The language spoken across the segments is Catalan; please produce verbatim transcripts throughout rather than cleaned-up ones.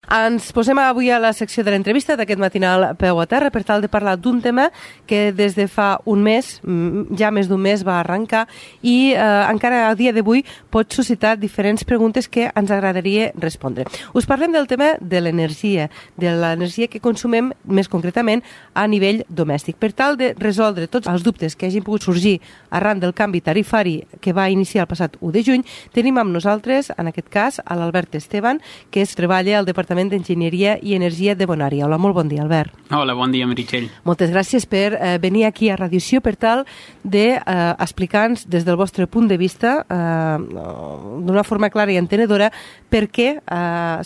Ens posem avui a la secció de l'entrevista d'aquest matinal Peu a Terra per tal de parlar d'un tema que des de fa un mes, ja més d'un mes, va arrencar i eh, encara a dia d'avui pot suscitar diferents preguntes que ens agradaria respondre. Us parlem del tema de l'energia, de l'energia que consumem més concretament a nivell domèstic. Per tal de resoldre tots els dubtes que hagin pogut sorgir arran del canvi tarifari que va iniciar el passat u de juny, tenim amb nosaltres, en aquest cas, a l'Albert Esteban, que es treballa al Departament d'Enginyeria i Energia de Bonària. Hola, molt bon dia, Albert. Hola, bon dia, Meritxell. Moltes gràcies per eh, venir aquí a Radioció per tal d'explicar-nos eh, des del vostre punt de vista, eh, d'una forma clara i entenedora, per què eh,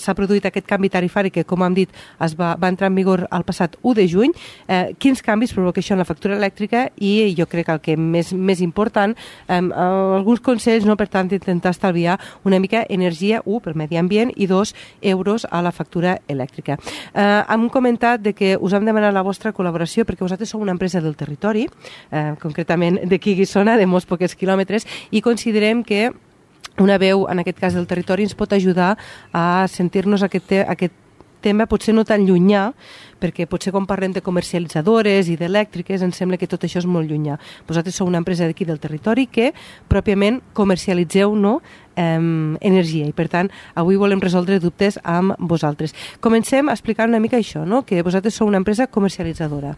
s'ha produït aquest canvi tarifari que, com hem dit, es va, va entrar en vigor el passat u de juny, eh, quins canvis provoca això en la factura elèctrica i jo crec que el que més, més important, eh, alguns consells, no, per tant, intentar estalviar una mica energia, un, pel medi ambient, i dos, euros a la factura elèctrica. Eh, hem comentat de que us hem demanat la vostra col·laboració perquè vosaltres sou una empresa del territori, eh, concretament d'aquí a Guissona, de molts pocs quilòmetres, i considerem que una veu, en aquest cas del territori, ens pot ajudar a sentir-nos aquest, te aquest tema potser no tan llunyà, perquè potser quan parlem de comercialitzadores i d'elèctriques ens sembla que tot això és molt llunyà. Vosaltres sou una empresa d'aquí del territori que pròpiament comercialitzeu, no, eh, energia, i per tant avui volem resoldre dubtes amb vosaltres. Comencem a explicar una mica això, no? Que vosaltres sou una empresa comercialitzadora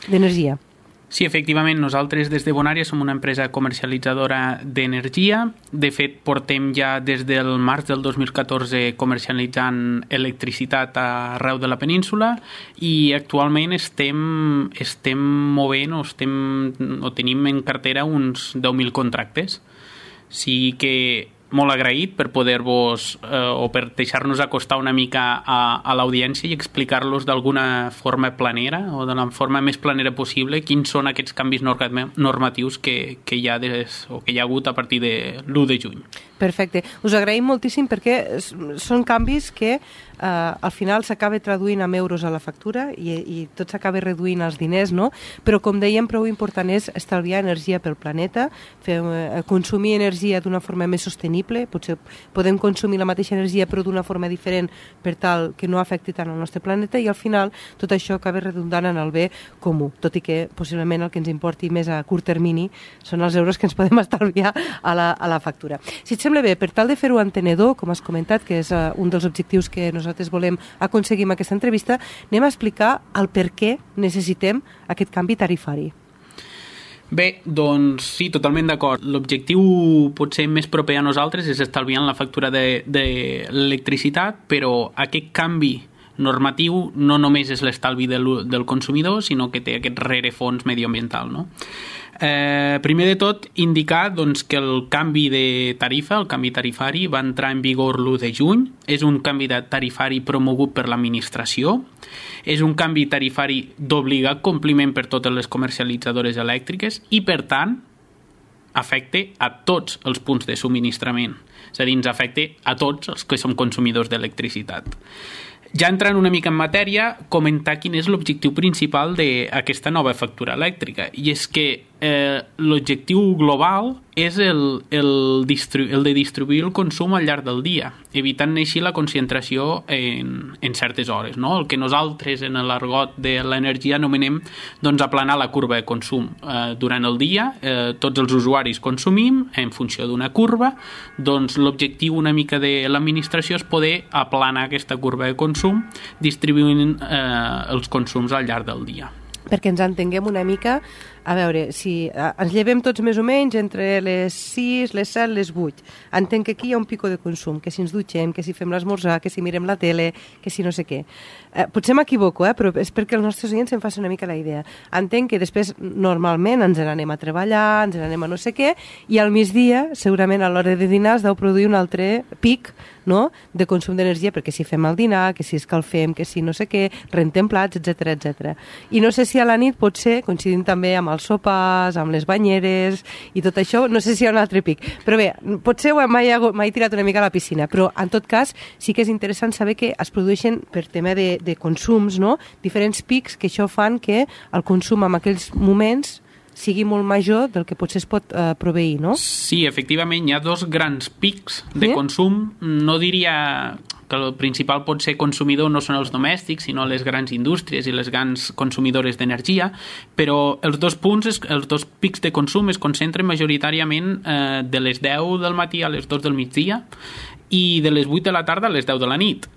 d'energia. Sí, efectivament, nosaltres des de Bonària som una empresa comercialitzadora d'energia. De fet, portem ja des del març del dos mil catorze comercialitzant electricitat arreu de la península i actualment estem, estem movent o, estem, o tenim en cartera uns deu mil contractes. Sí que molt agraït per poder-vos eh, o per deixar-nos acostar una mica a, a l'audiència i explicar-los d'alguna forma planera o de la forma més planera possible quins són aquests canvis normatius que, que, hi ha des, o que hi ha hagut a partir de l'u de juny. Perfecte. Us agraïm moltíssim perquè són canvis que eh, al final s'acaba traduint en euros a la factura i, i tot s'acaba reduint els diners, no? Però com dèiem, prou important és estalviar energia pel planeta, fer, eh, consumir energia d'una forma més sostenible, potser podem consumir la mateixa energia però d'una forma diferent per tal que no afecti tant el nostre planeta i al final tot això acaba redundant en el bé comú, tot i que possiblement el que ens importi més a curt termini són els euros que ens podem estalviar a la, a la factura. Si et sembla bé, per tal de fer-ho entenedor, com has comentat, que és uh, un dels objectius que nosaltres volem aconseguir amb aquesta entrevista, anem a explicar el per què necessitem aquest canvi tarifari. Bé, doncs sí, totalment d'acord. L'objectiu potser més proper a nosaltres és estalviar la factura de, de l'electricitat, però aquest canvi normatiu no només és l'estalvi del, del consumidor, sinó que té aquest rerefons mediambiental, no? Eh, primer de tot, indicar doncs, que el canvi de tarifa, el canvi tarifari, va entrar en vigor l'u de juny. És un canvi de tarifari promogut per l'administració. És un canvi tarifari d'obligat compliment per totes les comercialitzadores elèctriques i, per tant, afecta a tots els punts de subministrament. És a dir, ens afecta a tots els que som consumidors d'electricitat. Ja entrant una mica en matèria, comentar quin és l'objectiu principal d'aquesta nova factura elèctrica. I és que eh, l'objectiu global és el, el, distru- el de distribuir el consum al llarg del dia, evitant així la concentració en, en certes hores, no? El que nosaltres en l'argot de l'energia anomenem doncs, aplanar la curva de consum. Eh, durant el dia eh, tots els usuaris consumim en funció d'una curva, doncs l'objectiu una mica de l'administració és poder aplanar aquesta curva de consum distribuint eh, els consums al llarg del dia. Perquè ens entenguem una mica, a veure, si ens llevem tots més o menys entre les sis, les set, les vuit. Entenc que aquí hi ha un pico de consum, que si ens dutxem, que si fem l'esmorzar, que si mirem la tele, que si no sé què. Eh, potser m'equivoco, eh, però és perquè els nostres oients se'n facin una mica la idea. Entenc que després, normalment, ens n'anem a treballar, ens n'anem a no sé què, i al migdia, segurament a l'hora de dinar, es deu produir un altre pic, no?, de consum d'energia, perquè si fem el dinar, que si escalfem, que si no sé què, rentem plats, etcètera, etcètera. I no sé si a la nit pot ser, coincidint també amb els sopars, amb les banyeres i tot això, no sé si hi ha un altre pic. Però bé, potser mai he tirat una mica a la piscina, però en tot cas sí que és interessant saber que es produeixen per tema de, de consums, no?, diferents pics que això fan que el consum en aquells moments sigui molt major del que potser es pot eh, proveir, no? Sí, efectivament, hi ha dos grans pics de sí? consum, no diria que el principal pot ser consumidor no són els domèstics, sinó les grans indústries i les grans consumidores d'energia, però els dos punts, els dos pics de consum es concentren majoritàriament eh, de les deu del matí a les dos del migdia i de les vuit de la tarda a les deu de la nit.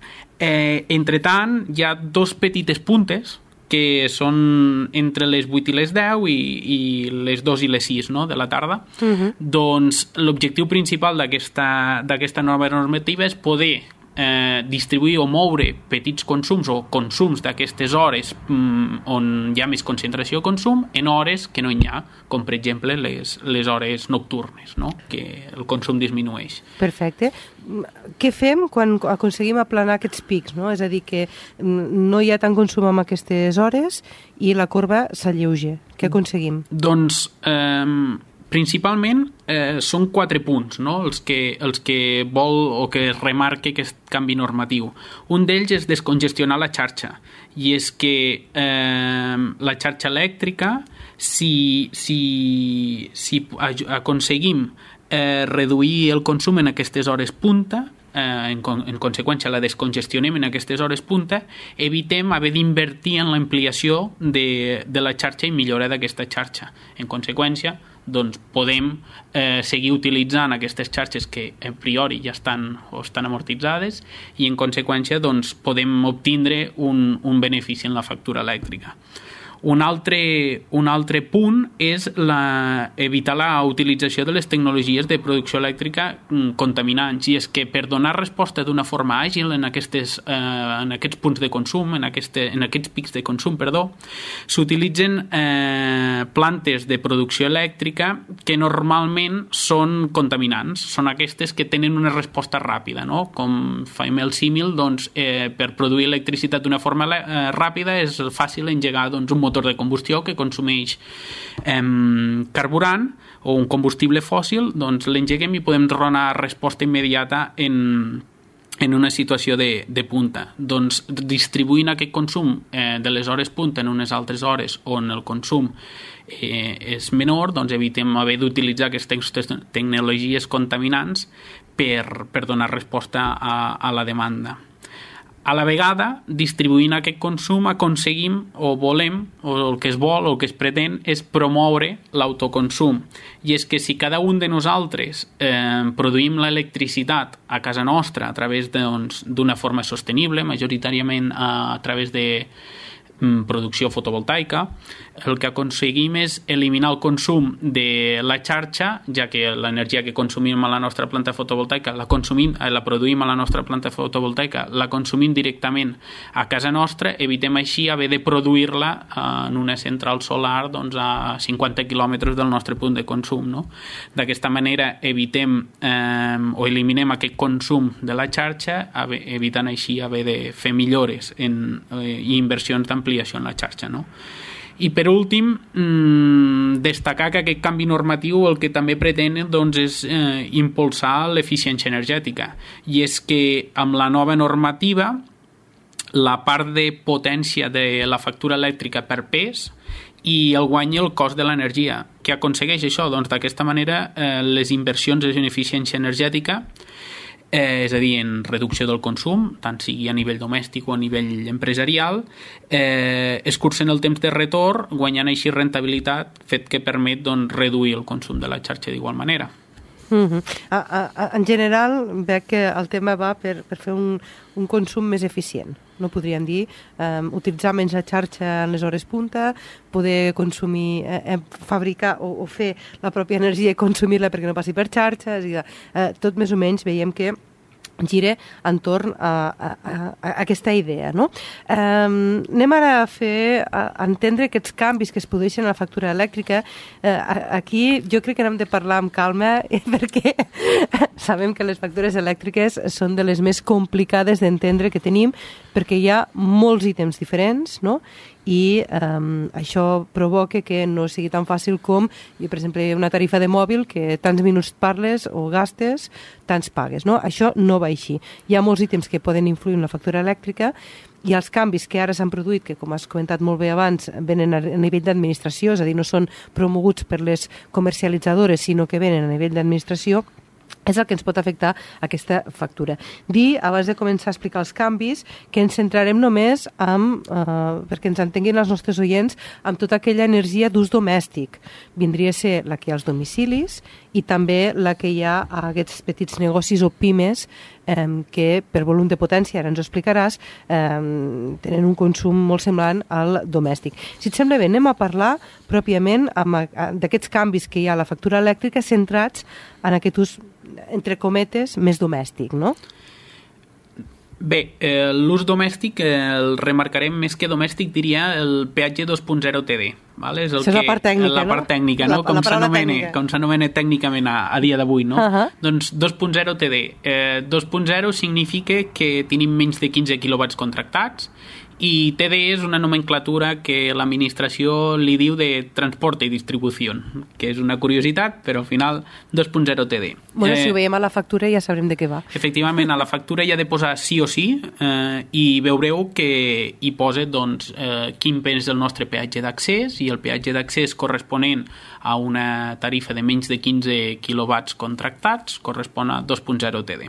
Eh, entre tant, hi ha dos petites puntes que són entre les vuit i les deu i, i les dos i les sis, no?, de la tarda. Uh-huh. Doncs l'objectiu principal d'aquesta, d'aquesta nova normativa és poder eh, distribuir o moure petits consums o consums d'aquestes hores mm, on hi ha més concentració de consum en hores que no hi ha, com per exemple les, les hores nocturnes, no?, que el consum disminueix. Perfecte. Què fem quan aconseguim aplanar aquests pics, no? És a dir, que no hi ha tant consum en aquestes hores i la corba s'alleuja. Què aconseguim? Doncs, eh, principalment, eh, són quatre punts, no?, els que, els que vol o que es remarque aquest canvi normatiu. Un d'ells és descongestionar la xarxa, i és que eh, la xarxa elèctrica, si, si, si aconseguim Eh, reduir el consum en aquestes hores punta, eh, en, en conseqüència la descongestionem en aquestes hores punta, evitem haver d'invertir en l'ampliació de, de la xarxa i millora d'aquesta xarxa. En conseqüència, doncs podem eh, seguir utilitzant aquestes xarxes que a priori ja estan o estan amortitzades i en conseqüència doncs podem obtindre un, un benefici en la factura elèctrica. Un altre, un altre punt és la, evitar la utilització de les tecnologies de producció elèctrica contaminants, i és que per donar resposta d'una forma àgil en, aquestes, eh, en aquests punts de consum, en, aquest, en aquests pics de consum, perdó, s'utilitzen eh, plantes de producció elèctrica que normalment són contaminants, són aquestes que tenen una resposta ràpida, no? Com fem el símil, doncs, eh, per produir electricitat d'una forma eh, ràpida és fàcil engegar doncs, un motor de combustió que consumeix eh, carburant o un combustible fòssil, doncs l'engeguem i podem donar resposta immediata en, en una situació de, de punta. Doncs distribuint aquest consum eh, de les hores punta en unes altres hores on el consum eh, és menor, doncs evitem haver d'utilitzar aquestes tecnologies contaminants per, per donar resposta a, a la demanda. A la vegada, distribuint aquest consum, aconseguim o volem, o el que es vol o el que es pretén, és promoure l'autoconsum. I és que si cada un de nosaltres eh, produïm l'electricitat a casa nostra a través doncs, d'una forma sostenible, majoritàriament a, a través de producció fotovoltaica, el que aconseguim és eliminar el consum de la xarxa, ja que l'energia que consumim a la nostra planta fotovoltaica la consumim, la produïm a la nostra planta fotovoltaica, la consumim directament a casa nostra, evitem així haver de produir-la en una central solar doncs, a cinquanta quilòmetres del nostre punt de consum, no? D'aquesta manera evitem eh, o eliminem aquest consum de la xarxa, evitant així haver de fer millores en, eh, i inversions d'ampliació en la xarxa, no? I per últim, mmm, destacar que aquest canvi normatiu el que també pretén doncs, és eh, impulsar l'eficiència energètica, i és que amb la nova normativa la part de potència de la factura elèctrica per pes i el guanya el cost de l'energia. Què aconsegueix això? Doncs d'aquesta manera eh, les inversions en eficiència energètica, Eh, és a dir, en reducció del consum, tant sigui a nivell domèstic o a nivell empresarial, eh, escurcen el temps de retorn, guanyant així rentabilitat, fet que permet doncs, reduir el consum de la xarxa d'igual manera. Uh-huh. a, a, en general, veig que el tema va per, per fer un, un consum més eficient. No podríem dir, eh, utilitzar menys la xarxa en les hores punta, poder consumir, eh, fabricar o, o fer la pròpia energia i consumir-la perquè no passi per xarxes. I, eh, tot més o menys veiem que gira entorn a, a, a, a aquesta idea, no? Um, anem ara a fer, a entendre aquests canvis que es produeixen a la factura elèctrica. Uh, aquí jo crec que n'hem de parlar amb calma perquè sabem que les factures elèctriques són de les més complicades d'entendre que tenim perquè hi ha molts ítems diferents, no? I um, això provoca que no sigui tan fàcil com, jo, per exemple, una tarifa de mòbil que tants minuts parles o gastes, tants pagues, no? Això no va així. Hi ha molts ítems que poden influir en la factura elèctrica i els canvis que ara s'han produït, que com has comentat molt bé abans, venen a nivell d'administració, és a dir, no són promoguts per les comercialitzadores, sinó que venen a nivell d'administració, és el que ens pot afectar aquesta factura. Dir, abans de començar a explicar els canvis, que ens centrarem només amb, eh, perquè ens entenguin els nostres oients, amb tota aquella energia d'ús domèstic. Vindria a ser la que hi ha als domicilis i també la que hi ha a aquests petits negocis o pimes eh, que, per volum de potència, ara ens ho explicaràs, eh, tenen un consum molt semblant al domèstic. Si et sembla bé, anem a parlar pròpiament d'aquests canvis que hi ha a la factura elèctrica centrats en aquest ús, entre cometes, més domèstic, no? Bé, eh, l'ús domèstic eh, el remarcarem més que domèstic, diria el peatge dos punt zero T D. Vale? És, el és que, la part tècnica, la part tècnica, no? La, com, la s'anomena, tècnica. com s'anomena tècnicament a, a dia d'avui, no? Uh -huh. Doncs dos punt zero T D. Eh, dos punt zero significa que tenim menys de quinze quilowatts contractats i T D és una nomenclatura que l'administració li diu de transport i distribució, que és una curiositat, però al final dos punt zero T D. Bueno, eh, si ho veiem a la factura ja sabrem de què va. Efectivament, a la factura hi ha de posar sí o sí eh, i veureu que hi posa doncs, eh, quin és el nostre peatge d'accés, i el peatge d'accés corresponent a una tarifa de menys de quinze quilowatts contractats correspon a dos punt zero T D.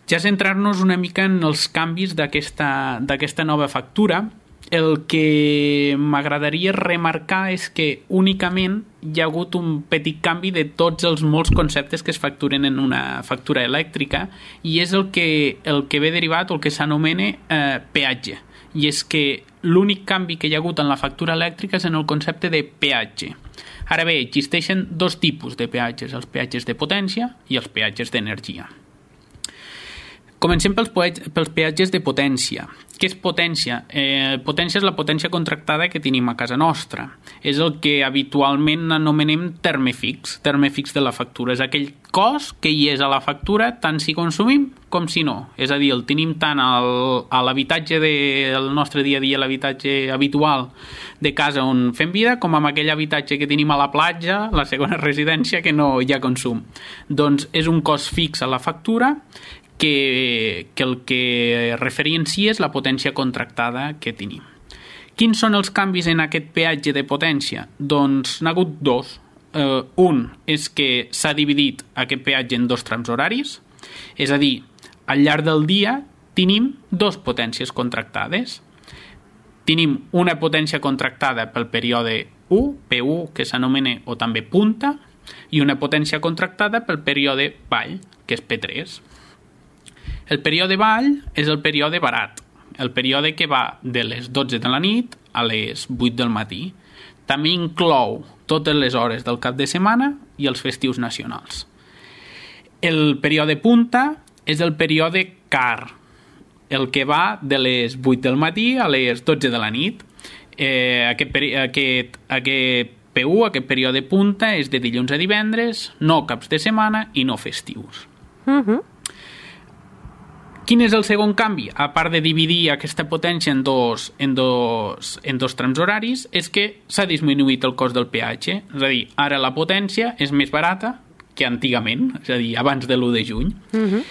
Ja centrar-nos una mica en els canvis d'aquesta d'aquesta nova factura, el que m'agradaria remarcar és que únicament hi ha hagut un petit canvi de tots els molts conceptes que es facturen en una factura elèctrica, i és el que, el que ve derivat o el que s'anomena eh, peatge. I és que l'únic canvi que hi ha hagut en la factura elèctrica és en el concepte de peatge. Ara bé, existeixen dos tipus de peatges, els peatges de potència i els peatges d'energia. Comencem pels, pels peatges de potència. Què és potència? Eh, potència és la potència contractada que tenim a casa nostra. És el que habitualment anomenem terme fix, terme fix de la factura. És aquell cost que hi és a la factura tant si consumim com si no. És a dir, el tenim tant al, a l'habitatge del nostre dia a dia, l'habitatge habitual de casa on fem vida, com amb aquell habitatge que tenim a la platja, la segona residència, que no hi ha consum. Doncs és un cost fix a la factura que, que el que referencia és la potència contractada que tenim. Quins són els canvis en aquest peatge de potència? Doncs n'ha hagut dos. Uh, un és que s'ha dividit aquest peatge en dos trams horaris, és a dir, al llarg del dia tenim dos potències contractades. Tenim una potència contractada pel període u, P u, que s'anomena o també punta, i una potència contractada pel període vall, que és P tres. El període vall és el període barat, el període que va de les dotze de la nit a les vuit del matí. També inclou totes les hores del cap de setmana i els festius nacionals. El període punta és el període car, el que va de les vuit del matí a les dotze de la nit. Eh, aquest, aquest, aquest P u, aquest període punta, és de dilluns a divendres, no caps de setmana i no festius. Uh-huh. Quin és el segon canvi? A part de dividir aquesta potència en dos, en dos, en dos trams horaris, és que s'ha disminuït el cost del peatge. És a dir, ara la potència és més barata que antigament, és a dir, abans de l'u de juny. Uh-huh.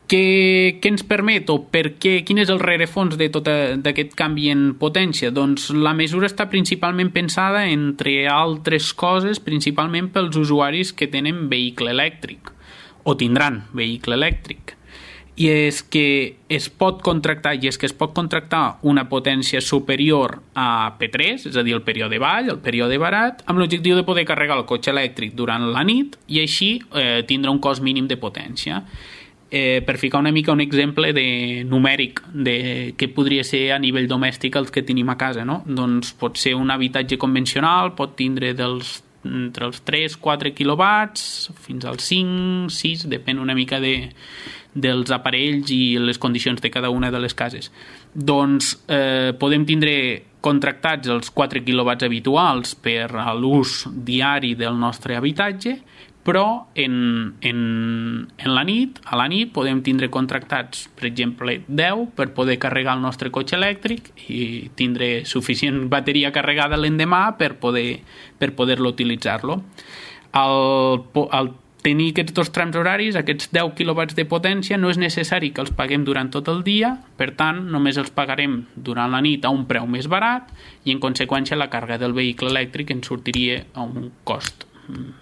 Què, què ens permet o per què, quin és el rerefons de tot d'aquest canvi en potència? Doncs la mesura està principalment pensada, entre altres coses, principalment pels usuaris que tenen vehicle elèctric o tindran vehicle elèctric. I és que es pot contractar i és que es pot contractar una potència superior a P tres, és a dir, el període vall, el període barat, amb l'objectiu de poder carregar el cotxe elèctric durant la nit i així eh, tindre un cost mínim de potència. Eh, per ficar una mica un exemple de numèric de què podria ser a nivell domèstic els que tenim a casa, no? Doncs pot ser un habitatge convencional, pot tindre dels, entre els tres a quatre quilowatts fins als cinc, sis, depèn una mica de, dels aparells i les condicions de cada una de les cases. Doncs eh, podem tindre contractats els quatre quilowatts habituals per a l'ús diari del nostre habitatge, però en, en, en la nit, a la nit podem tindre contractats, per exemple, deu per poder carregar el nostre cotxe elèctric i tindre suficient bateria carregada l'endemà per poder per poder-lo utilitzar-lo. Al, al tenir aquests dos trams horaris, aquests deu quilowatts de potència, no és necessari que els paguem durant tot el dia, per tant, només els pagarem durant la nit a un preu més barat i, en conseqüència, la càrrega del vehicle elèctric ens sortiria a un cost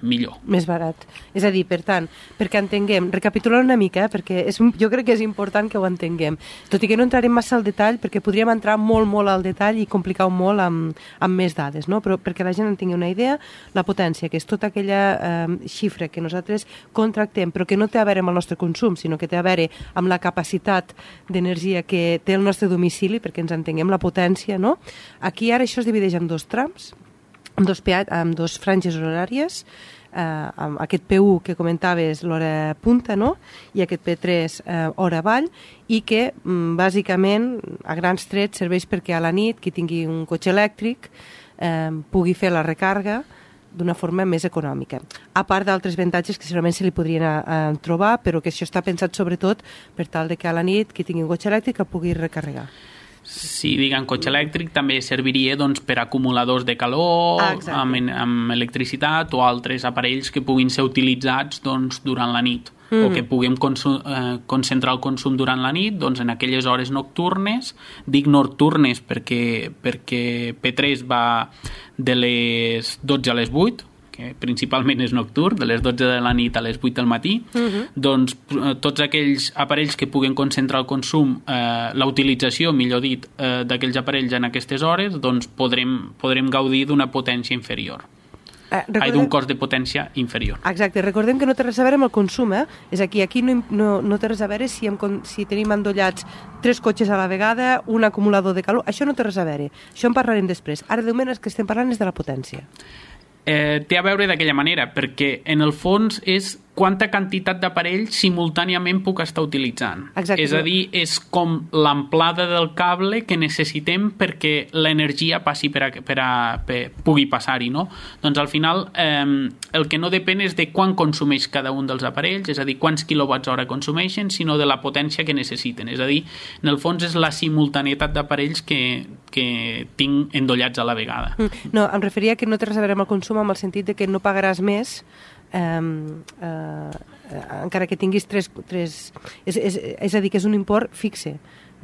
millor. Més barat. És a dir, per tant, perquè entenguem, recapitulant una mica, eh, perquè és, jo crec que és important que ho entenguem, tot i que no entrarem massa al detall, perquè podríem entrar molt, molt al detall i complicar-ho molt amb, amb més dades, no? Però perquè la gent en tingui una idea, la potència, que és tota aquella eh, xifra que nosaltres contractem, però que no té a veure amb el nostre consum, sinó que té a veure amb la capacitat d'energia que té el nostre domicili, perquè ens entenguem la potència, no? Aquí ara això es divideix en dos trams, amb dos, amb dos franges horàries, eh, amb aquest P u que comentaves, l'hora punta, no? I aquest P tres, eh, hora avall, i que mm, bàsicament a grans trets serveix perquè a la nit qui tingui un cotxe elèctric eh, pugui fer la recàrrega d'una forma més econòmica. A part d'altres avantatges que segurament se li podrien eh, trobar, però que això està pensat sobretot per tal de que a la nit qui tingui un cotxe elèctric el pugui recarregar. Si diguem cotxe elèctric també serviria doncs, per acumuladors de calor ah, amb, amb electricitat o altres aparells que puguin ser utilitzats doncs, durant la nit mm. o que puguem consum, eh, concentrar el consum durant la nit doncs, en aquelles hores nocturnes. Dic nocturnes perquè, perquè P tres va de les dotze a les vuit, que principalment és nocturn, de les dotze de la nit a les vuit del matí, uh-huh. doncs tots aquells aparells que puguen concentrar el consum, eh, la utilització, millor dit, eh, d'aquells aparells en aquestes hores, doncs podrem, podrem gaudir d'una potència inferior. Eh, recordem... Ai, d'un cost de potència inferior. Exacte, recordem que no té res a veure amb el consum, eh? És aquí, aquí no, no, no té res a veure si, hem, si tenim endollats tres cotxes a la vegada, un acumulador de calor, això no té res a veure. Això en parlarem després. Ara, de moment, el que estem parlant és de la potència. Eh, té a veure d'aquella manera, perquè en el fons és quanta quantitat d'aparells simultàniament puc estar utilitzant. Exacte. És a dir, és com l'amplada del cable que necessitem perquè l'energia passi per a, per a, per, pugui passar-hi, no? Doncs al final eh, el que no depèn és de quan consumeix cada un dels aparells, és a dir, quants quilowatts hora consumeixen, sinó de la potència que necessiten. És a dir, en el fons és la simultaneïtat d'aparells que, que tinc endollats a la vegada. No, em referia que no té res a veure amb el consum amb el sentit de que no pagaràs més Um, uh, uh, encara que tinguis tres, tres és, és, és a dir, que és un import fixe,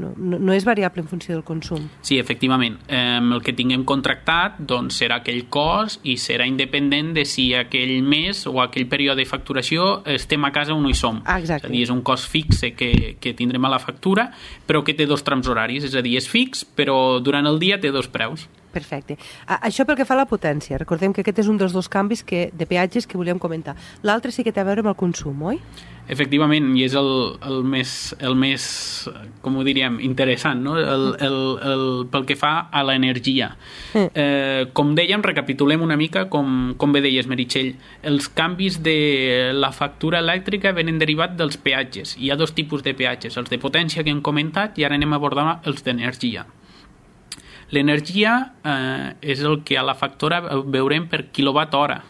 no, no, no és variable en funció del consum. Sí, efectivament, eh, el que tinguem contractat doncs serà aquell cost i serà independent de si aquell mes o aquell període de facturació estem a casa o no hi som. Ah, exacte. És a dir, és un cost fixe que, que tindrem a la factura, però que té dos trams horaris, és a dir, és fix, però durant el dia té dos preus. Perfecte. Això pel que fa a la potència. Recordem que aquest és un dels dos canvis que, de peatges que volíem comentar. L'altre sí que té a veure amb el consum, oi? Efectivament, i és el, el, més, el més, com ho diríem, interessant, no? el, el, el, pel que fa a l'energia. Mm. Eh, com dèiem, recapitulem una mica, com, com bé deies, Meritxell, els canvis de la factura elèctrica venen derivats dels peatges. Hi ha dos tipus de peatges, els de potència que hem comentat i ara anem a abordar els d'energia. L'energia eh, és el que a la factura veurem per quilowatt hora.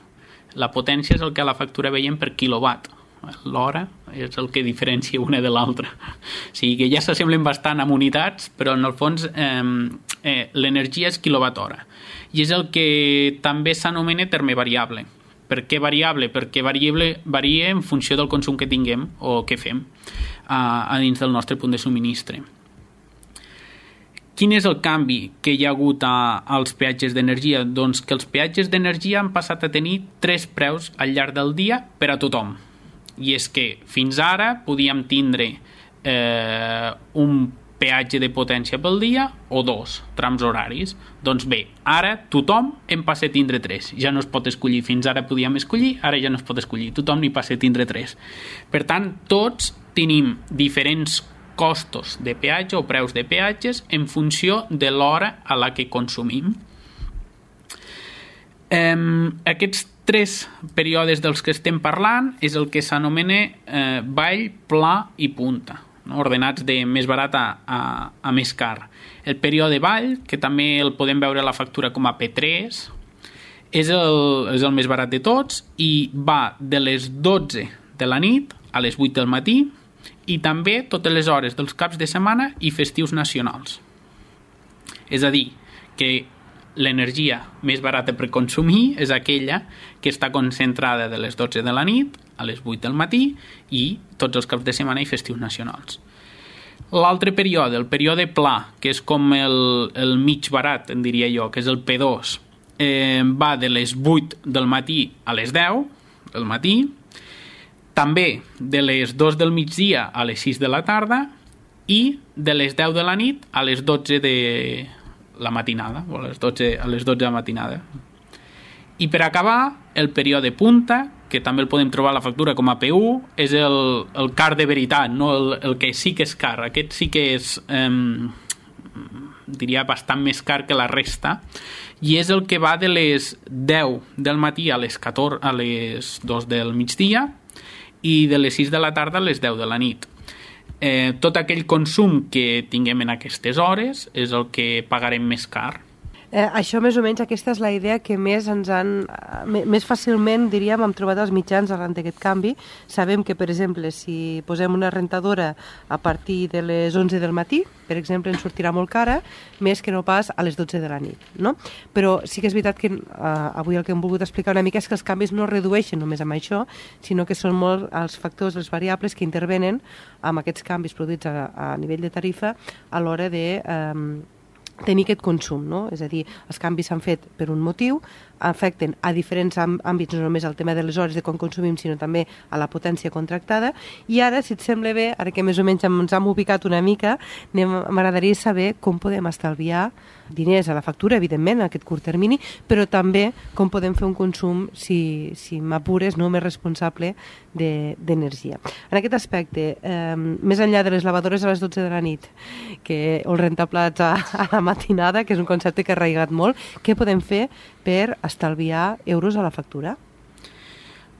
La potència és el que a la factura veiem per quilowatt. L'hora és el que diferencia una de l'altra. O sigui que ja s'assemblen bastant amb unitats, però en el fons eh, eh, l'energia és quilowatt hora. I és el que també s'anomena terme variable. Per què variable? Perquè variable varia en funció del consum que tinguem o que fem a, a dins del nostre punt de subministre. Quin és el canvi que hi ha hagut a, als peatges d'energia? Doncs que els peatges d'energia han passat a tenir tres preus al llarg del dia per a tothom. I és que fins ara podíem tindre eh, un peatge de potència pel dia o dos trams horaris. Doncs bé, ara tothom en passa a tindre tres. Ja no es pot escollir. Fins ara podíem escollir, ara ja no es pot escollir. Tothom n'hi passa a tindre tres. Per tant, tots tenim diferents costos de peatge o preus de peatges en funció de l'hora a la que consumim. Eh, aquests tres períodes dels que estem parlant és el que s'anomena eh, vall, pla i punta, no? Ordenats de més barat a, a, a més car. El període vall, que també el podem veure a la factura com a P tres, és el, és el més barat de tots i va de les dotze de la nit a les vuit del matí i també totes les hores dels caps de setmana i festius nacionals. És a dir, que l'energia més barata per consumir és aquella que està concentrada de les dotze de la nit a les vuit del matí i tots els caps de setmana i festius nacionals. L'altre període, el període pla, que és com el, el mig barat, en diria jo, que és el P dos, eh, va de les vuit del matí a les deu del matí, també de les dos del migdia a les sis de la tarda i de les deu de la nit a les dotze de la matinada, o a les dotze, a les dotze de la matinada. I per acabar, el període punta, que també el podem trobar a la factura com a P u, és el, el car de veritat, no? el, el que sí que és car. Aquest sí que és, eh, diria, bastant més car que la resta, i és el que va de les deu del matí a les catorze, a les dos del migdia i de les sis de la tarda a les deu de la nit. Eh, tot aquell consum que tinguem en aquestes hores és el que pagarem més car. Eh, això, més o menys, aquesta és la idea que més ens han... Més fàcilment, diríem, hem trobat els mitjans arran d'aquest canvi. Sabem que, per exemple, si posem una rentadora a partir de les onze del matí, per exemple, ens sortirà molt cara, més que no pas a les dotze de la nit, no? Però sí que és veritat que eh, avui el que hem volgut explicar una mica és que els canvis no redueixen només amb això, sinó que són molt els factors, les variables que intervenen amb aquests canvis produïts a, a nivell de tarifa a l'hora de... Eh, tenir aquest consum, no? És a dir, els canvis s'han fet per un motiu, afecten a diferents àmbits, no només al tema de les hores de quan consumim, sinó també a la potència contractada. I ara, si et sembla bé, ara que més o menys ens hem ubicat una mica, m'agradaria saber com podem estalviar diners a la factura, evidentment, en aquest curt termini, però també com podem fer un consum, si, si m'apures, no, més responsable d'energia. En aquest aspecte, eh, més enllà de les lavadores a les dotze de la nit, que, o el rentaplats a, a la matinada, que és un concepte que ha arraigat molt, què podem fer per estalviar euros a la factura?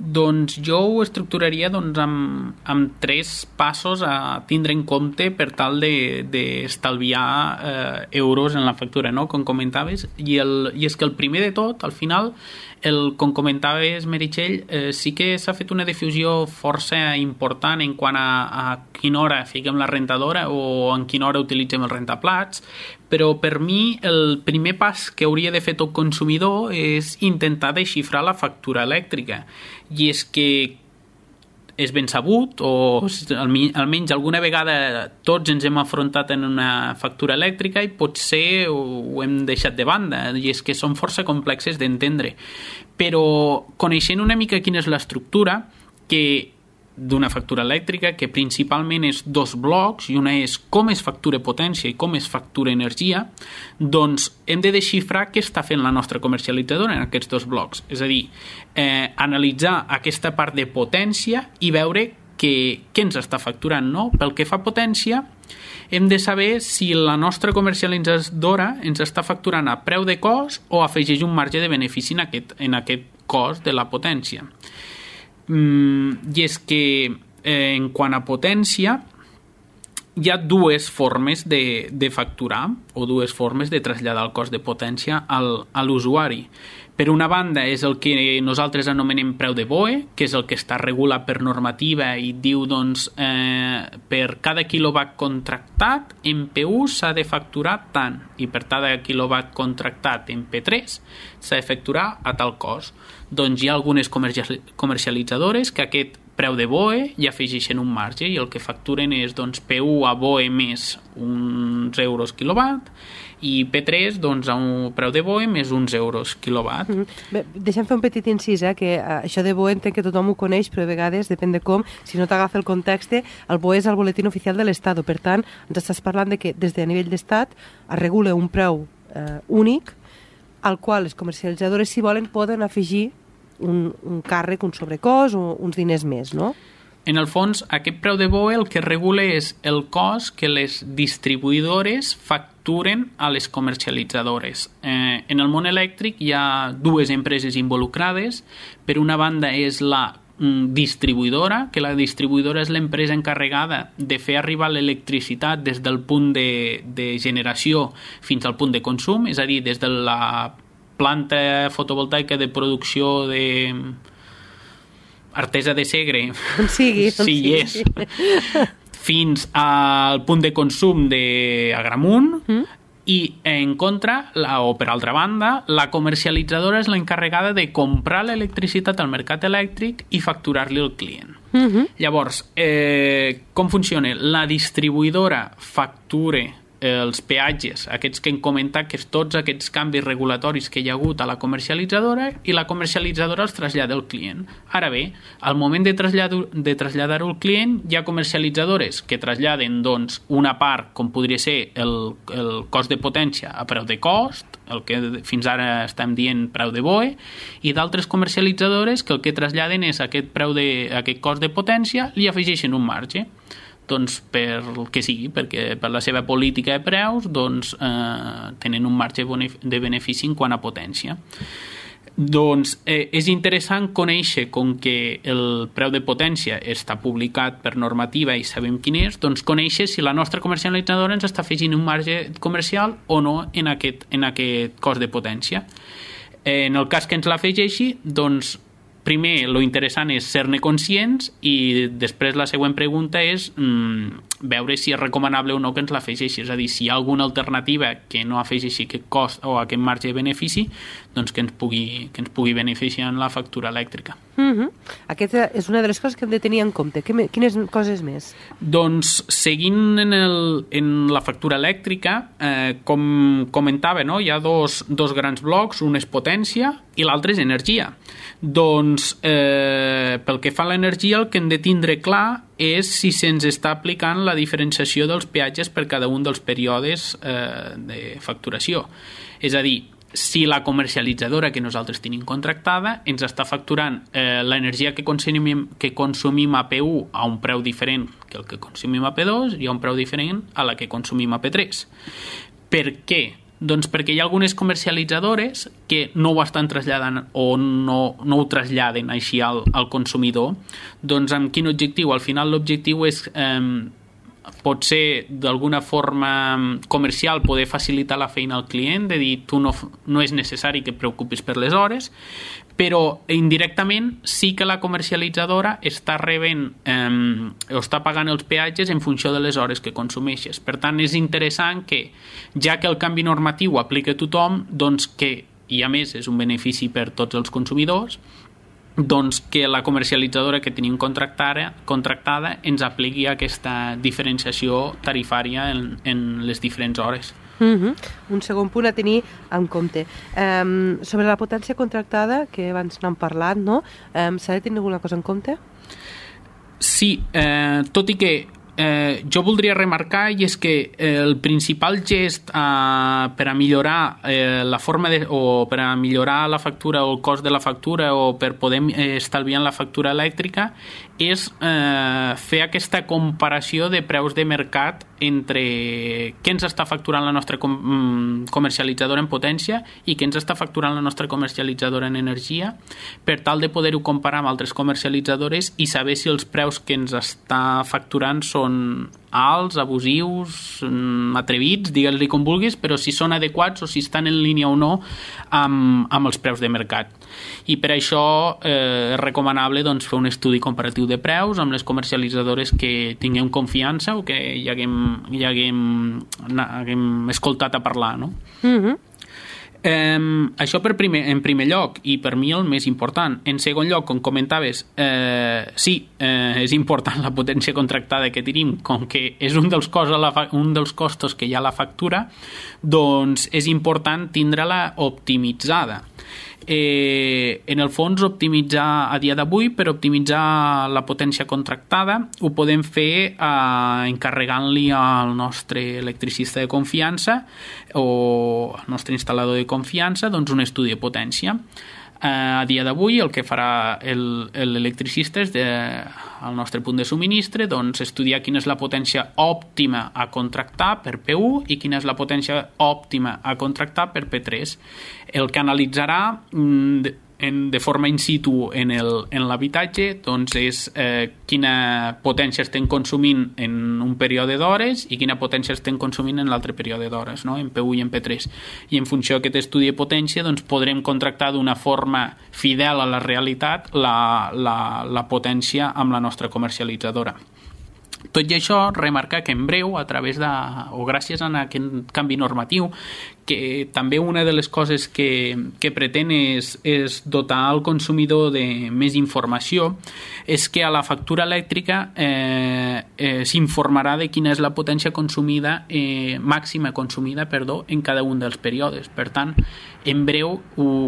Doncs jo ho estructuraria doncs, amb, amb tres passos a tindre en compte per tal d'estalviar de, eh, euros en la factura, no? Com comentaves, i, el, i és que el primer de tot, al final, el, com comentaves, Meritxell, eh, sí que s'ha fet una difusió força important en quant a, a quina hora fiquem la rentadora o en quina hora utilitzem els rentaplats, però per mi el primer pas que hauria de fer tot consumidor és intentar desxifrar la factura elèctrica. I és que és ben sabut, o almenys alguna vegada tots ens hem afrontat en una factura elèctrica i potser ho hem deixat de banda, i és que són força complexes d'entendre. Però coneixent una mica quina és l'estructura, que d'una factura elèctrica, que principalment és dos blocs, i una és com es factura potència i com es factura energia, doncs hem de desxifrar què està fent la nostra comercialitzadora en aquests dos blocs. És a dir, eh, analitzar aquesta part de potència i veure què, què ens està facturant, no? Pel que fa a potència, hem de saber si la nostra comercialitzadora ens està facturant a preu de cost o afegeix un marge de benefici en aquest, en aquest cost de la potència. Mm, i és que eh, en quant a potència hi ha dues formes de, de facturar o dues formes de traslladar el cost de potència al, a l'usuari. Per una banda és el que nosaltres anomenem preu de B O E, que és el que està regulat per normativa i diu doncs eh, per cada quilowatt contractat en P u s'ha de facturar tant i per cada quilowatt contractat en P tres s'ha de facturar a tal cost. Doncs hi ha algunes comercialitzadores que aquest preu de B O E i afegeixen un marge i el que facturen és doncs, P u a B O E més uns euros quilowatt i P tres doncs, a un preu de B O E més uns euros quilowatt. Mm-hmm. Bé, deixem fer un petit incís, eh, que uh, això de B O E entenc que tothom ho coneix, però a vegades, depèn de com, si no t'agafa el context, el B O E és el boletín oficial de l'Estat. Per tant, ens estàs parlant de que des de nivell d'Estat es regula un preu eh, únic al qual les comercialitzadores, si volen, poden afegir un, un càrrec, un sobrecost o uns diners més, no? En el fons, aquest preu de B O E el que regula és el cost que les distribuïdores facturen a les comercialitzadores. Eh, en el món elèctric hi ha dues empreses involucrades. Per una banda és la mm, distribuïdora, que la distribuïdora és l'empresa encarregada de fer arribar l'electricitat des del punt de, de generació fins al punt de consum, és a dir, des de la planta fotovoltaica de producció de Artesa de Segre, on sigui, on sí, sigui. És, fins al punt de consum d'Agramunt, mm. i en contra, la, o per altra banda, la comercialitzadora és l'encarregada de comprar l'electricitat al mercat elèctric i facturar-li al client. Mm-hmm. Llavors, eh, com funciona? La distribuïdora factura els peatges, aquests que hem comentat, que és tots aquests canvis regulatoris que hi ha hagut a la comercialitzadora, i la comercialitzadora els trasllada al client. Ara bé, al moment de traslladar-ho de traslladar-ho al client, hi ha comercialitzadores que traslladen doncs, una part, com podria ser el, el cost de potència a preu de cost, el que fins ara estem dient preu de B O E, i d'altres comercialitzadores que el que traslladen és aquest, preu de, aquest cost de potència, li afegeixen un marge. Doncs per el que sigui, perquè per la seva política de preus doncs, eh, tenen un marge de benefici en quant a potència. Doncs eh, és interessant conèixer com que el preu de potència està publicat per normativa i sabem quin és, doncs conèixer si la nostra comercialitzadora ens està afegint un marge comercial o no en aquest, en aquest cost de potència. Eh, en el cas que ens l'afegeixi, doncs primer, lo interessant és ser-ne conscients, i després la següent pregunta és mmm, veure si és recomanable o no que ens l'afegeixi, és a dir, si hi ha alguna alternativa que no afegeixi aquest cost o aquest marge de benefici, doncs que ens pugui, que ens pugui beneficiar en la factura elèctrica. Mm-hmm. Aquesta és una de les coses que hem de tenir en compte. Quines coses més? Doncs seguint en, el, en la factura elèctrica, eh, com comentava, no? Hi ha dos, dos grans blocs, un és potència i l'altre és energia. Doncs eh, pel que fa a l'energia, el que hem de tindre clar és si se'ns està aplicant la diferenciació dels peatges per cada un dels períodes eh, de facturació. És a dir, si la comercialitzadora que nosaltres tenim contractada ens està facturant eh, l'energia que consumim, que consumim a P u a un preu diferent que el que consumim a P dos i a un preu diferent a la que consumim a P tres. Per què? Doncs perquè hi ha algunes comercialitzadores que no ho estan traslladant o no, no ho traslladen així al, al consumidor. Doncs amb quin objectiu? Al final l'objectiu és eh, pot ser d'alguna forma comercial poder facilitar la feina al client, de dir tu no, no és necessari que et preocupis per les hores, però indirectament sí que la comercialitzadora està rebent eh, o està pagant els peatges en funció de les hores que consumeixes. Per tant, és interessant que, ja que el canvi normatiu aplica a tothom, doncs que, i a més és un benefici per tots els consumidors, doncs que la comercialitzadora que tenim contractada, contractada ens apliqui aquesta diferenciació tarifària en, en les diferents hores. Uh-huh. Un segon punt a tenir en compte. Um, sobre la potència contractada, que abans n'hem parlat, no? Um, s'ha de tenir alguna cosa en compte? Sí, eh, tot i que eh, jo voldria remarcar, i és que eh, el principal gest eh, per a millorar eh, la forma de, o per a millorar la factura o el cost de la factura o per poder eh, estalviar en la factura elèctrica és eh, fer aquesta comparació de preus de mercat entre què ens està facturant la nostra com- comercialitzadora en potència i què ens està facturant la nostra comercialitzadora en energia, per tal de poder-ho comparar amb altres comercialitzadores i saber si els preus que ens està facturant són alts, abusius, atrevits, digues-li com vulguis, però si són adequats o si estan en línia o no amb, amb els preus de mercat. I per això eh, és recomanable doncs, fer un estudi comparatiu de preus amb les comercialitzadores que tinguem confiança o que hi haguem, hi haguem, haguem escoltat a parlar, no? Mhm. Eh, això per primer, en primer lloc, i per mi el més important. En segon lloc, com comentaves, eh, sí, eh, és important la potència contractada que tenim, com que és un dels, costos, la fa- un dels costos que hi ha a la factura, doncs és important tindre-la optimitzada. Eh, en el fons, optimitzar a dia d'avui, per optimitzar la potència contractada, ho podem fer eh, encarregant-li al nostre electricista de confiança o al nostre instal·lador de confiança doncs un estudi de potència. Eh, a dia d'avui el que farà el, l'electricista és de, al nostre punt de subministre doncs, estudiar quina és la potència òptima a contractar per P u i quina és la potència òptima a contractar per P tres. El que analitzarà de, en, de forma in situ en, el, en l'habitatge doncs és eh, quina potència estem consumint en un període d'hores i quina potència estem consumint en l'altre període d'hores, no? En P u i en P tres. I en funció d'aquest estudi de potència doncs, podrem contractar d'una forma fidel a la realitat la, la, la potència amb la nostra comercialitzadora. Tot i això, remarcar que en breu, a través de, o gràcies a aquest canvi normatiu, que també una de les coses que, que pretén és, és dotar el consumidor de més informació, és que a la factura elèctrica eh, eh, s'informarà de quina és la potència consumida, eh, màxima consumida, perdó, en cada un dels períodes. Per tant, en breu,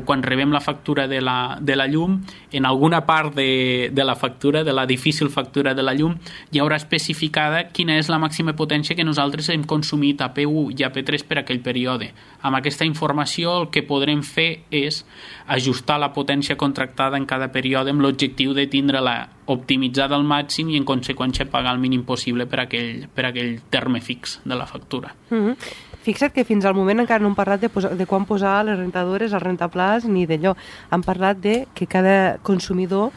quan rebem la factura de la, de la llum, en alguna part de, de la factura, de la difícil factura de la llum, hi haurà especificada quina és la màxima potència que nosaltres hem consumit a P u i a P tres per aquell període. Amb aquesta informació el que podrem fer és ajustar la potència contractada en cada període amb l'objectiu de tindre-la optimitzada al màxim i en conseqüència pagar el mínim possible per aquell, per aquell terme fix de la factura. Mm-hmm. Fixa't que fins al moment encara no hem parlat de, posar, de quan posar les rentadores, els rentaplats, ni d'allò. Hem parlat de que cada consumidor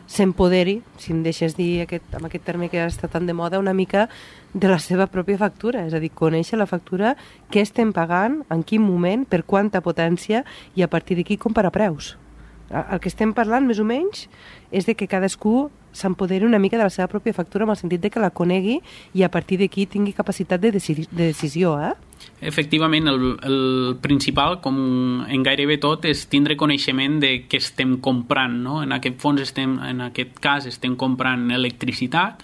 s'empoderi, si em deixes dir aquest, amb aquest terme que està tan de moda, una mica de la seva pròpia factura. És a dir, conèixer la factura, què estem pagant, en quin moment, per quanta potència i a partir d'aquí comparar preus. El que estem parlant, més o menys, és de que cadascú s'empoderi una mica de la seva pròpia factura en el sentit de que la conegui i a partir d'aquí tingui capacitat de, deci- de decisió, eh? Efectivament, el, el principal, com en gairebé tot, és tindre coneixement de què estem comprant, no? En aquest fons estem, en aquest cas estem comprant electricitat.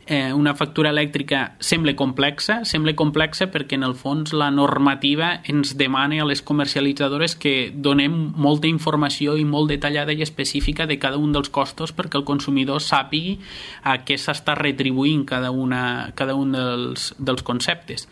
Eh, una factura elèctrica sembla complexa, sembla complexa perquè en el fons la normativa ens demana a les comercialitzadores que donem molta informació i molt detallada i específica de cada un dels costos perquè el consumidor sàpigui a què s'està retribuint cada, una, cada un dels, dels conceptes.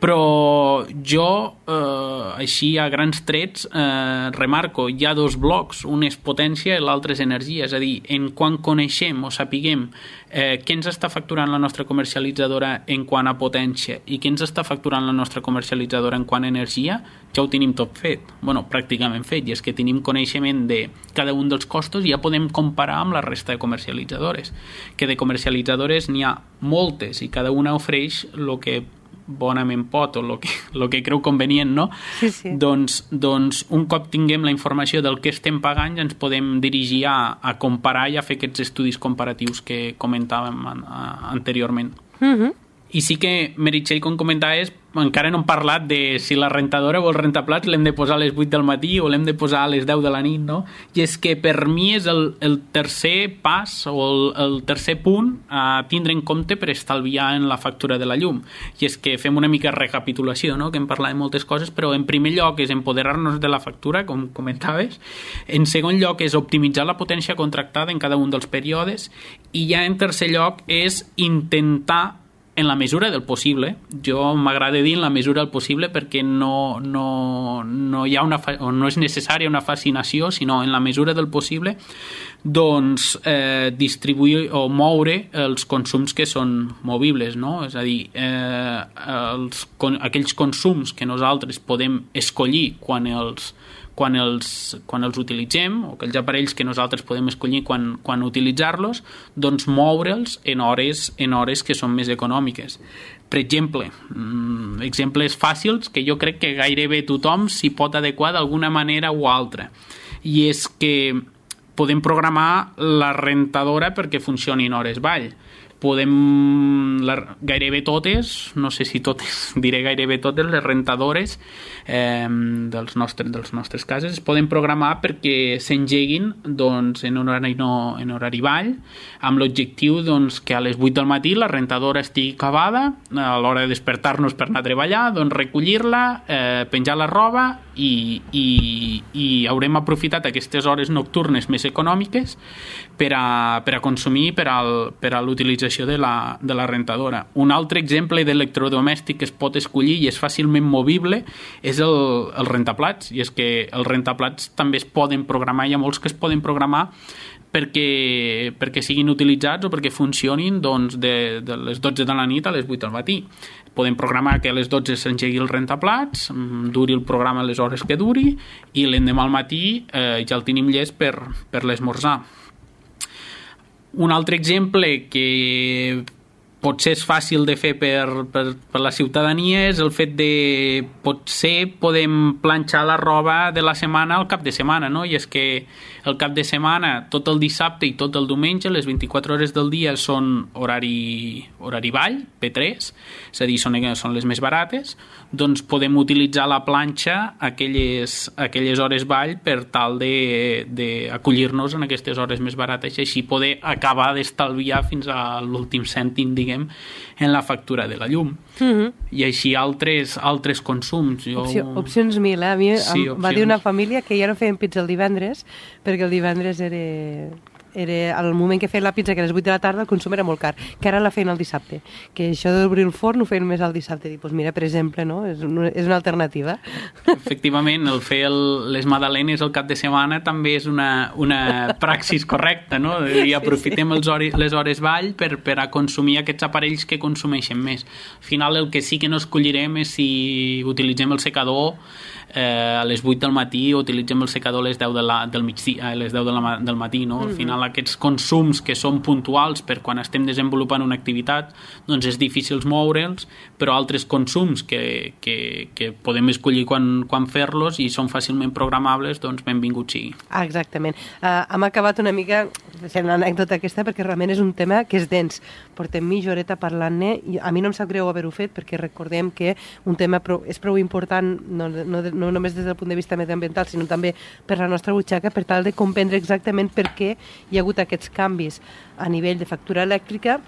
Però jo, eh, així a grans trets, eh, remarco, hi ha dos blocs, un és potència i l'altre és energia, és a dir, en quan coneixem o sapiguem eh, què ens està facturant la nostra comercialitzadora en quant a potència i què ens està facturant la nostra comercialitzadora en quant a energia, ja ho tenim tot fet, bueno, pràcticament fet, i és que tenim coneixement de cada un dels costos i ja podem comparar amb la resta de comercialitzadores, que de comercialitzadores n'hi ha moltes i cada una ofereix el que bonament pot o el que, lo que creu convenient, no? Sí, sí. Doncs, doncs un cop tinguem la informació del que estem pagant ja ens podem dirigir a, a comparar i a fer aquests estudis comparatius que comentàvem an, a, anteriorment. Mm-hmm. I sí que, Meritxell, com comentaves, encara no hem parlat de si la rentadora o el rentaplats l'hem de posar a les vuit del matí o l'hem de posar a les deu de la nit, no? I és que per mi és el, el tercer pas o el, el tercer punt a tindre en compte per estalviar en la factura de la llum. I és que fem una mica de recapitulació, no? Que hem parlat de moltes coses, però en primer lloc és empoderar-nos de la factura, com comentaves. En segon lloc és optimitzar la potència contractada en cada un dels períodes. I ja en tercer lloc és intentar, en la mesura del possible, jo m'agrada dir en la mesura del possible perquè no, no, no, hi ha una, o no és necessària una fascinació, sinó en la mesura del possible, doncs eh, distribuir o moure els consums que són movibles, no? És a dir, eh, els, aquells consums que nosaltres podem escollir quan els quan els, quan els utilitzem, o aquells aparells que nosaltres podem escollir quan, quan utilitzar-los, doncs moure'ls en hores, en hores que són més econòmiques. Per exemple, exemples fàcils que jo crec que gairebé tothom s'hi pot adequar d'alguna manera o altra. I és que podem programar la rentadora perquè funcioni en hores vall. Podem, la, gairebé totes, no sé si totes, diré gairebé totes les rentadores eh, dels, nostres, dels nostres cases es poden programar perquè s'engeguin doncs, en, horari no, en horari vall, amb l'objectiu doncs, que a les vuit del matí la rentadora estigui acabada, a l'hora de despertar-nos per anar a treballar, doncs recollir-la, eh, penjar la roba i, i, i haurem aprofitat aquestes hores nocturnes més econòmiques per a, per a consumir per, al, per a l'utilització de la, de la rentadora. Un altre exemple d'electrodomèstic que es pot escollir i és fàcilment movible és el, el rentaplats, i és que els rentaplats també es poden programar, hi ha molts que es poden programar perquè, perquè siguin utilitzats o perquè funcionin doncs, de, de les dotze de la nit a les vuit del matí. Podem programar que a les dotze s'engegui el rentaplats, duri el programa les hores que duri i l'endemà al matí eh, ja el tenim llest per, per l'esmorzar. Un altre exemple que potser és fàcil de fer per, per, per la ciutadania és el fet de potser podem planxar la roba de la setmana al cap de setmana, no? I és que el cap de setmana, tot el dissabte i tot el diumenge, les vint-i-quatre hores del dia són horari, horari vall, P tres, és a dir, són, són les més barates, doncs podem utilitzar la planxa aquelles, aquelles hores vall per tal d'acollir-nos en aquestes hores més barates i així poder acabar d'estalviar fins a l'últim cèntim, diguem, en la factura de la llum. Mm-hmm. I així altres, altres consums. Jo... Opció, opcions mil, eh? A mi sí, em va dir una família que ja no feien pizza el divendres perquè el divendres era... era al moment que feien la pizza, que a les vuit de la tarda el consum era molt car, que ara la feien el dissabte, que això d'obrir el forn ho feien més al dissabte. Dic, doncs mira, per exemple, no? és, una, és una alternativa. Efectivament, el fer el, les magdalenes al cap de setmana també és una, una praxis correcta, no? I aprofitem sí, sí. Els hores, les hores vall per, per a consumir aquests aparells que consumeixen més. Al final el que sí que no escollirem és si utilitzem el secador eh, a les vuit del matí o utilitzem el secador a les deu de la, del migdia, a les deu de la, del matí, no? Al final aquests consums que són puntuals per quan estem desenvolupant una activitat, doncs és difícil moure'ls, però altres consums que, que, que podem escollir quan, quan fer-los i són fàcilment programables, doncs benvingut sigui. Ah, exactament. Uh, hem acabat una mica fent una anècdota aquesta perquè realment és un tema que és dens. Portem mitja horeta parlant-ne i a mi no em sap greu haver-ho fet perquè recordem que un tema prou, és prou important no, no, no només des del punt de vista mediambiental, sinó també per la nostra butxaca, per tal de comprendre exactament per què hi ha hagut aquests canvis a nivell de factura elèctrica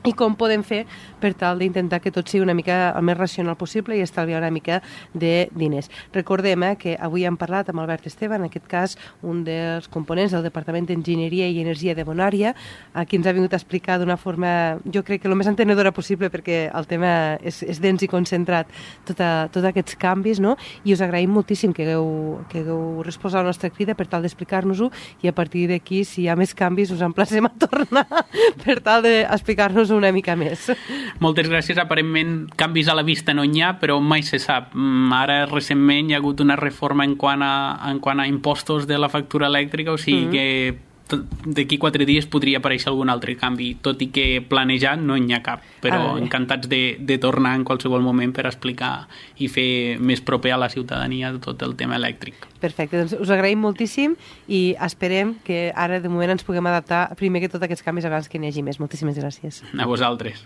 i com podem fer per tal d'intentar que tot sigui una mica el més racional possible i estalviar una mica de diners. Recordem eh, que avui hem parlat amb Albert Esteve, en aquest cas un dels components del Departament d'Enginyeria i Energia de Bonària, a qui ens ha vingut a explicar d'una forma, jo crec que el més entenedora possible perquè el tema és, és dens i concentrat, tota, tots aquests canvis, no? I us agraïm moltíssim que hagueu, que hagueu respost a la nostra crida per tal d'explicar-nos-ho i a partir d'aquí, si hi ha més canvis, us emplacem a tornar per tal d'explicar-nos una mica més. Moltes gràcies. Aparentment canvis a la vista no n'hi ha, però mai se sap. Ara recentment hi ha hagut una reforma en quant a, en quant a impostos de la factura elèctrica, o sigui mm-hmm. que d'aquí quatre dies podria aparèixer algun altre canvi, tot i que planejat no n'hi ha cap, però ah, encantats de, de tornar en qualsevol moment per explicar i fer més proper a la ciutadania tot el tema elèctric. Perfecte, doncs us agraïm moltíssim i esperem que ara de moment ens puguem adaptar primer que tot aquests canvis abans que n'hi hagi més. Moltíssimes gràcies. A vosaltres.